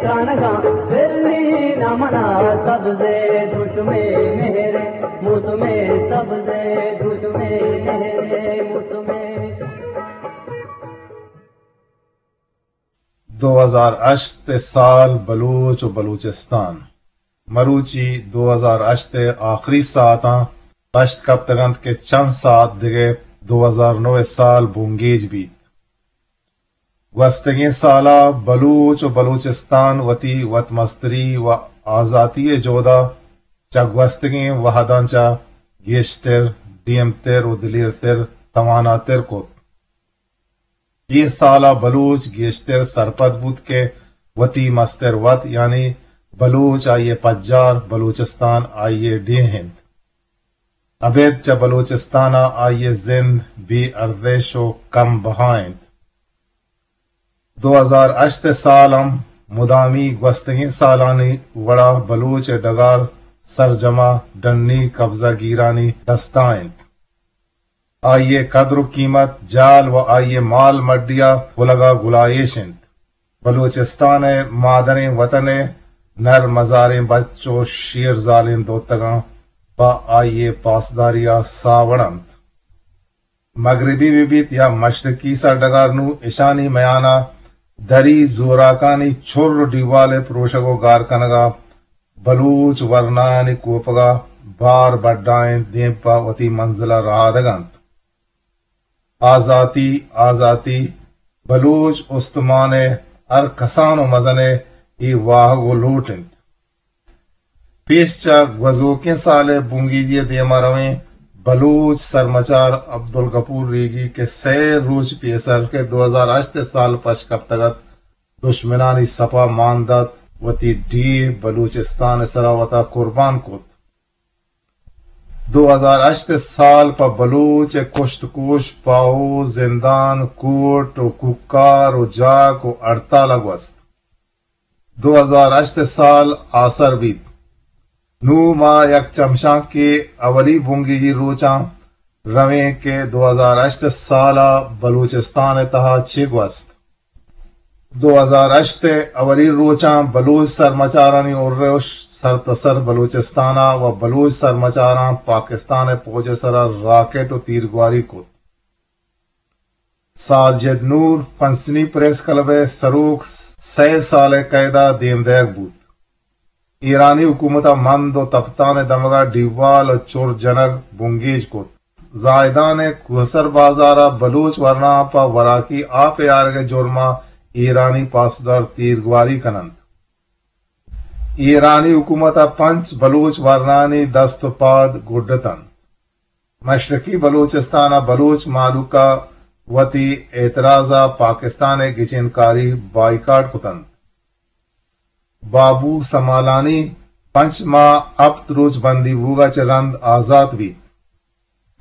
ترانگاں برنی نہ منا سبزے دشمے مہرے موسمے، سبزے دشمے مہرے موسمے۔ دو ہزار ہشت ءِ سال بلوچ و بلوچستان۔ مروچی دو ہزار ہشت ءِ آخری ساعتاں پشت کپتگ انت کہ چند ساعت دگہ دو ہزار نو ءِ سال بنگیج بیت۔ گوستگیں سالا بلوچ و بلوچستان وتی وتمستری و آزاتی ءِ جہدا چہ گوستگیں وہداں چہ گیشتر، دیمتر و دلیرتر، تواناتر کت۔ اے سالا بلوچ گیشتر سرپد بوت کہ وتی مستر وت، یعنی بلوچ آئی ءِ پجار، بلوچستان آئی ءِ ڈیھ انت۔ ابید چہ بلوچستان ءَ آئی ءِ زند بے ارزش و کم بہا انت۔ دو ہزار ہشت ءِ سال ہم مدامی گوستگیں سالانی وڑا بلوچ ءِ ڈگار سرجما ڈنی قبضہ گیرانی دستا انت۔ آئی ءِ قدر و قیمت جال و آئی ءِ مال مڈیا گلگا گلائیش انت۔ بلوچستان ءِ مادریں وطن ءِ نر مزاریں بچ و شیرزالیں دوتگاں پہ آئی ءِ پاسداریا ساوڑ انت۔ مغربی بہ بیت یا مشرقی سرڈگار، نوں اشانی میانا دری زوراکانی چر و ڈیوال ءِ پروشگ و گار کنگا بلوچ ورنایانی کوپگا بار بڈا انت، دیم پہ وتی منزلا رہادگ انت۔ آزاتی، آزاتی، بلوچ استمان ءِ ہر کسان و مزن ءِ اے واہگ و لوٹ انت۔ پیش چہ گوزوکیں سال ءِ بنگیجی ءِ دیما رویں، بلوچ سرمچار عبدالغفور ریگی کہ سئے روچ پیسر کہ دو ہزار ہشت ءِ سال پش کپتگ ات، دشمنانی سپا مان دات، وتی ڈیھ بلوچستان ءِ سرا وتا قربان کت۔ دو ہزار ہشت ءِ سال پہ بلوچ ءِ کشت کوش، پاہو، زندان، کوٹ و کوکار و جاک و ہڑتال ءَ گوست۔ دو ہزار ہشت ءِ سال آسر بیت۔ نوں ما یک چمشانکے اولی بنگیجی روچاں رویں کہ دو ہزار ہشت ءِ سال ءَ بلوچستان ءِ تہا چے گوست۔ دو ہزار ہشت ءِ اولی روچاں بلوچ سرمچارانی ارش سرتاسر بلوچستان ءَ و بلوچ سرمچاراں پاکستان ءِ پوج ءِ سرا راکٹ و تیرگواری کت۔ ساجد نور پسنی پریس کلب ءِ سروک سئے سال ءِ قید ءَ دیم دئیگ بوت۔ ایرانی حکومت ءَ مند و تپتان ءِ دمگ ءَ ڈیوال و چر جنگ بنگیج کت۔ زاہدان ءِ کوہسر بازار ءَ بلوچ ورناہاں پہ وراکی آپ ءِ آرگ ءِ جرم ءَ ایرانی پاسدار تیرگواری کن انت۔ ایرانی حکومت ءَ پنچ بلوچ ورناہانی دست و پاد گڈ اتنت۔ مشرقی بلوچستان ءَ بلوچ مہلوک ءَ وتی اعتراض ءَ پاکستان ءِ گچینکاری بائیکاٹ کت انت۔ بابو سمالانی پنچ ماہ ہپت روچ بندی بوگ ءَ چہ رند آزات بیت۔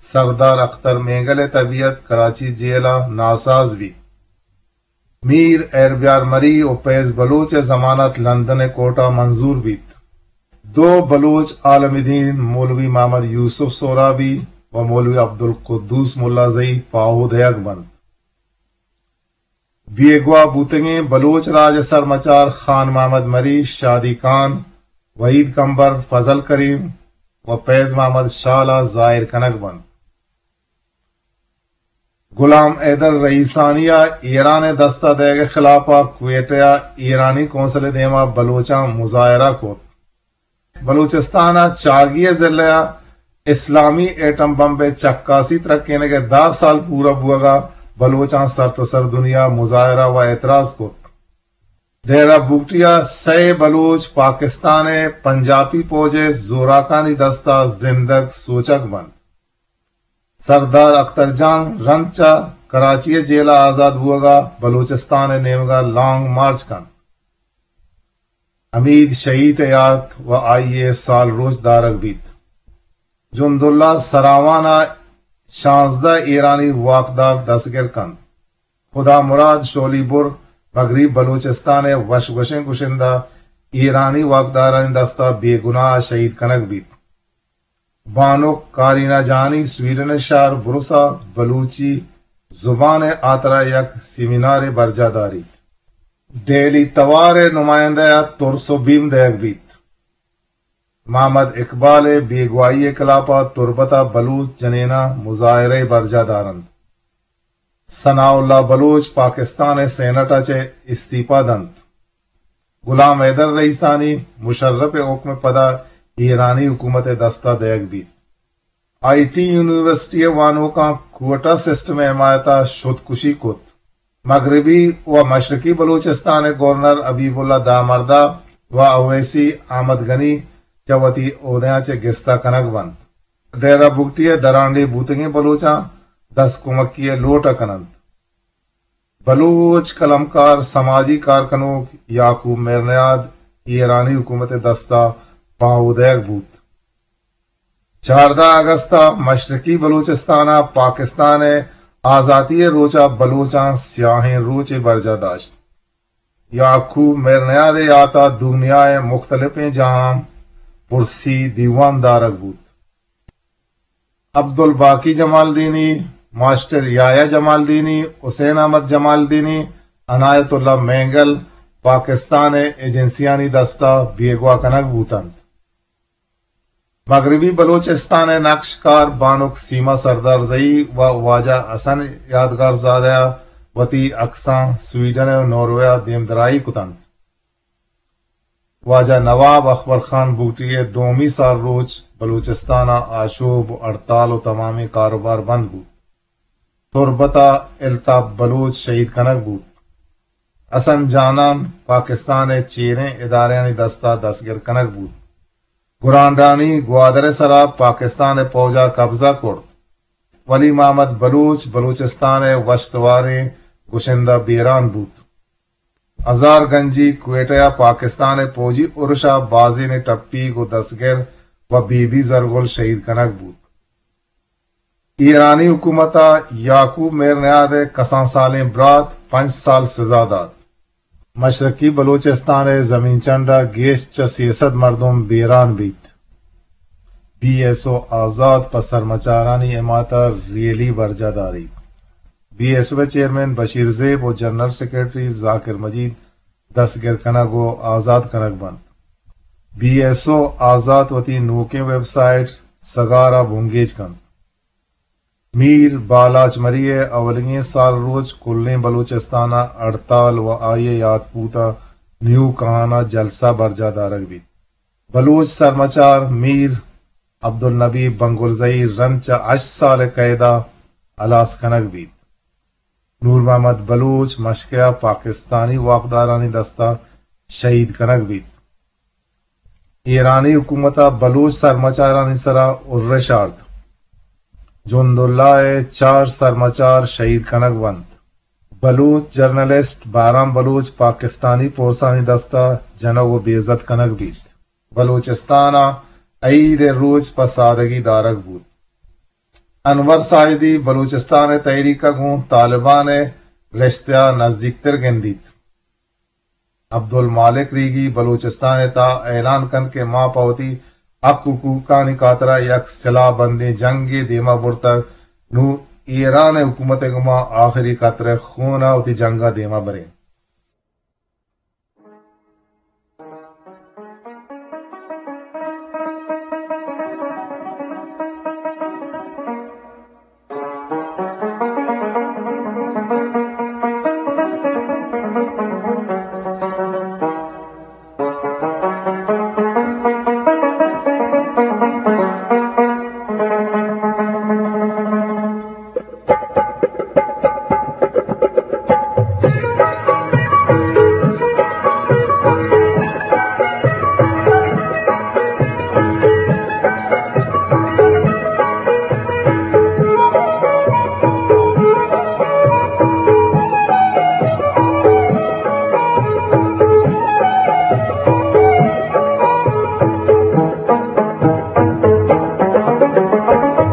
سردار اختر مینگل ءِ طبیعت کراچی جیل ءَ ناساز بیت۔ میر ہیربیار مری و فیض بلوچ ءِ ضمانت لندن ءِ کورٹ ءَ منظور بیت۔ دو بلوچ عالم دین مولوی محمد یوسف سہرابی و مولوی عبدالقدوس ملازئی پاہو دئیگ بنت۔ بیگواہ بوتگیں بلوچ راج ءِ سرمچار خان محمد مری، شادی خان، وحید کمبر، فضل کریم و فیض محمد شال ءَ زاہر کنگ بنت۔ غلام حیدر رئیسانی ءَ ایران ءِ دست ءَ دئیگ ءِ خلاف ءَ کوئٹہ ءَ ایرانی قونصل ءِ دیما بلوچاں مظاہرہ کت۔ بلوچستان ءِ چاگی ءِ ضلع ءَ اسلامی ایٹم بمب ءِ چکاسی ترکینگ ءِ دہ سال پورا بوگ ءَ بلوچاں سرتاسر دنیا مظاہرہ و اعتراض کت۔ ڈیرہ بگٹی ءَ سئے بلوچ پاکستان ءِ پنجابی پوج ءِ زوراکانی دست ءَ زندگ سوچگ بنت۔ سردار اختر جان رند چہ کراچی ءِ جیل ءَ آزات بوگ ءَ بلوچستان ءِ نیمگ ءَ لانگ مارچ کنت۔ حمید شہید ءِ یات و آئی ءِ سال روچ دارگ بیت۔ جنداللہ سراوان ءَ شانزدہ ایرانی واکدار دستگر کنت۔ خدا مراد شولی بر مغرب بلوچستان ءِ وش گوشیں گشندہ ایرانی واکدارانی دست ءَ بے گناہ شہید کنگ بیت۔ بانک کارینا جہانی سویڈن ءِ شہر بروس ءَ بلوچی زبان ءِ ہاترا یک سیمینارے برجاہ داریت۔ ڈیلی توار ءِ نمائندہ ءَ ترس ءُ بیم دئیگ بیت۔ محمد اقبال ءِ بیگواہی ءِ کلاپ ءَ تربت ءَ بلوچ جنیناں مظاہرہ ءَ برجاہ دارنت۔ ثناء اللہ بلوچ پاکستان ءِ سینٹ ءَ چہ استعفی دنت۔ غلام حیدر رئیسانی مشرف ءِ حکم ءِ پدا ایرانی حکومت ءِ دست ءَ دئیگ بیت۔ آئی ٹی یونیورسٹی ءِ وانوکاں کوٹا سسٹم ءِ حمایت ءَ شدکشی کت۔ مغربی ءُ مشرقی بلوچستان ءِ گورنر حبیب اللہ دامردہ ءُ اویسی احمد غنی چہ وتی عہدیاں چہ گستا کنگ بنت۔ ڈیرہ بگٹی ءِ درانڈیھ بوتگیں بلوچاں دست کمکی ءِ لوٹ ءَ کننت۔ بلوچ قلمکار، سماجی کارکنوک یعقوب مہرنیاد ایرانی حکومت ءِ دست ءَ پاہو دئیگ بوت۔ چاردہ اگست ءَ مشرقی بلوچستان ءَ پاکستان ءِ آزاتی ءِ روچ ءَ بلوچاں سیاہیں روچے برجاہ داشت۔ یعقوب مہرنیاد ءِ یات ءَ دنیا ءِ مختلفیں جاہاں پرسی دیوان دارگ بوت۔ عبدالباقی جمالدینی، ماسٹر یحییٰ جمالدینی، حسین احمد جمالدینی، عنایت اللہ مینگل پاکستان ءِ ایجنسیانی دست ءَ بیگواہ کنگ بوتنت۔ مغربی بلوچستان ءِ نقش کار بانک سیما سردارزئی ءُ واجہ حسن یادگارزادہ ءَ وتی عکساں سویڈن ءُ ناروے ءَ دیمدرائی کتنت۔ واجہ نواب اکبر خان بگٹی ءِ دومی سال روچ بلوچستان ءَ آشوب ءُ ہڑتال ءُ تمامیں کاروبار بند بوت۔ تربت ءَ الطاف بلوچ شہید کنگ بوت۔ حسن جانان پاکستان ءِ چیریں ادارہانی دست ءَ دستگر کنگ بوت۔ گرانڈانی گوادر ءِ سرا پاکستان ءِ پوج ءَ قبضہ کرت۔ ولی محمد بلوچ بلوچستان ءِ وشتواریں گشندہ بیران بوت۔ ہزار گنجی کوئٹہ ءَ پاکستان ءِ پوجی ارش ءَ بازینے ٹپیگ ءُ دستگر ءُ بی بی زرگل شہید کنگ بوت۔ ایرانی حکومت ءَ یعقوب مہرنیاد ءِ کسان سالیں برات پنچ سال سزا دات۔ مشرقی بلوچستان ءِ زمین چنڈ ءَ گیش چہ سے سد مردم بیران بیت۔ بی ایس او آزات پہ سرمچارانی حمایت ءَ ریلی برجاہ داریت۔ بی ایس او ءِ چیئرمین بشیر زیب ءُ جنرل سیکرٹری ذاکر مجید دستگر کنگ ءُ آزات کنگ بنت۔ بی ایس او آزات وتی نوکیں ویب سائٹ سگار ءَ بنگیج کنت۔ میر بالاچ مری ءِ اولیگیں سال روچ کلیں بلوچستان ءَ ہڑتال ءُ آئی ءِ یات بوت ءَ نیو کہان ءَ جلسہ برجاہ دارگ بیت۔ بلوچ سرمچار میر عبدالنبی بنگلزئی رند چہ ہشت سال ءِ قید ءَ ہلاس کنگ بیت۔ نور محمد بلوچ مشکے ءَ پاکستانی واکدارانی دست ءَ شہید کنگ بیت۔ ایرانی حکومت ءَ بلوچ سرمچارانی سرا ارش آرت۔ جند اللہ ءِ چار سرمچار شہید کنگ بنت۔ بلوچ جرنلسٹ بہرام بلوچ پاکستانی پورسانی دست ءَ جنگ ءُ بے عزت کنگ بیت۔ بلوچستان ءَ عید ءِ روچ پہ سادگی دارگ بوت۔ انور ساجدی بلوچستان ءِ تحریک ءَ گوں طالبان ءِ رشتہ ءَ نزیکتر گندیت۔ عبدالمالک ریگی بلوچستان ءِ تہا اعلان کنت کہ ما پہ وتی حق حقوقانی خاطرا یک سلاہ بندیں جنگے دیما برتگ، نوں ایران ءِ حکومت ءَ گوں ما آخری قطرہ خون ءَ وتی جنگ ءَ دیما بریں۔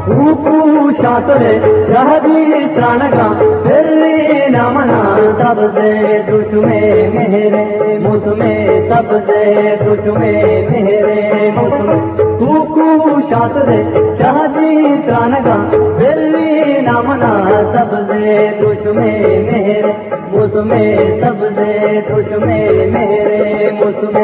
روپو شاتر شہدی ترانگا، پھر نامنا سبز دشمے مہر موسم، سبز دشمے مہر موسم۔ روپو شاتر شہدی ترانگا، پھر نامنا سبز دشمے مہر، موسم سبز، دشمے مہر، موسم۔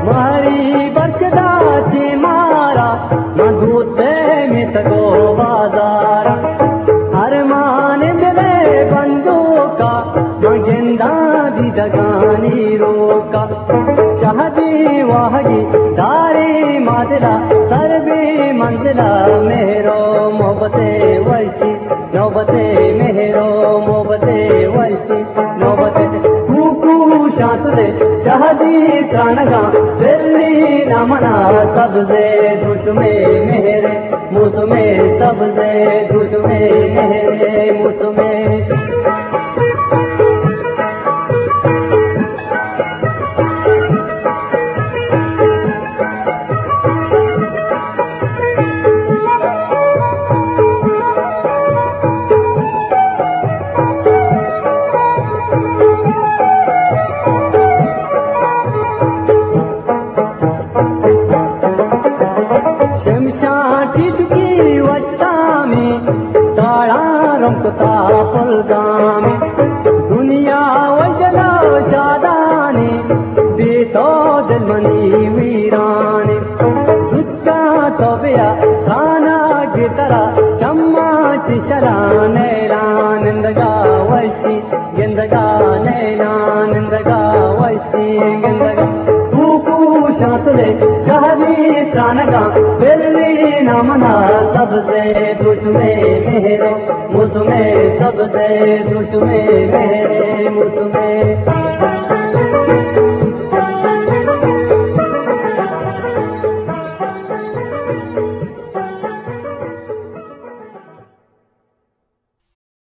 ماری برچدا چی مارا، من دوتے میتگو بازارا۔ ارمان دل بندوکا، من گنداں دیدگانی روکا۔ شہدی واہگی داری مادلا، سر بی منزلا، مہرو محبت وشی۔ نوبت مہرو محبت وشی، نوبت کوکو شانتلے شہدی ترانگاں، بلی نامنا سبز، دشمے مہر، موسم سبز، دشمے مہر، موسم۔ شمشان ٹیٹکی وشتامی، تاڑاں رمکتا پلگامی۔ دنیا وجلو شادانی، بے تو دل منی ویرانی۔ دکاں تو بیا خانہ گترا، چماں چشلا نیلان نندگا وشی۔ گندگا نیلان نندگا وشی گندگا، کوکو شانتلے شہدی ترانگا، بلی نامنا سبز، دشمے مہرو موسم سبز، دشمے مہر موسم۔